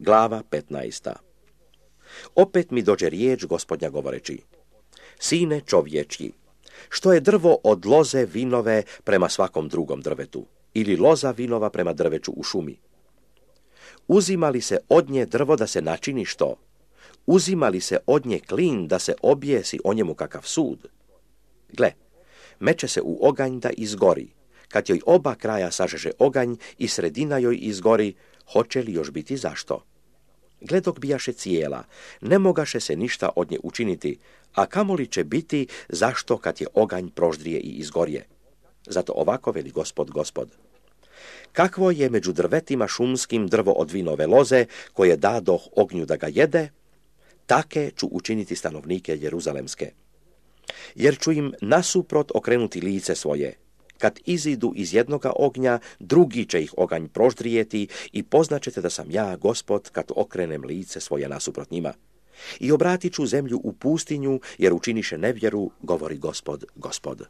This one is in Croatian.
Glava 15. Opet mi dođe riječ Gospodnja govoreći: Sine čovječji, što je drvo od loze vinove prema svakom drugom drvetu, ili loza vinova prema drveću u šumi? Uzima li se od nje drvo da se načini što? Uzima li se od nje klin da se objesi o njemu kakav sud? Gle, meće se u oganj da izgori. Kad joj oba kraja sažeže oganj i sredina joj izgori, hoće li još biti zašto? Gle, dok bijaše cijela, ne mogaše se ništa od nje učiniti, a kamoli će biti zašto kad je oganj proždrije i izgorje. Zato ovako veli Gospod. Kakvo je među drvetima šumskim drvo od vinove loze, koje dadoh ognju da ga jede, take ću učiniti stanovnike Jeruzalemske. Jer ću im nasuprot okrenuti lice svoje. Kad izidu iz jednoga ognja, drugi će ih oganj proždrijeti i poznaćete da sam ja, Gospod, kad okrenem lice svoje nasuprot njima. I obratit ću zemlju u pustinju, jer učiniše nevjeru, govori Gospod.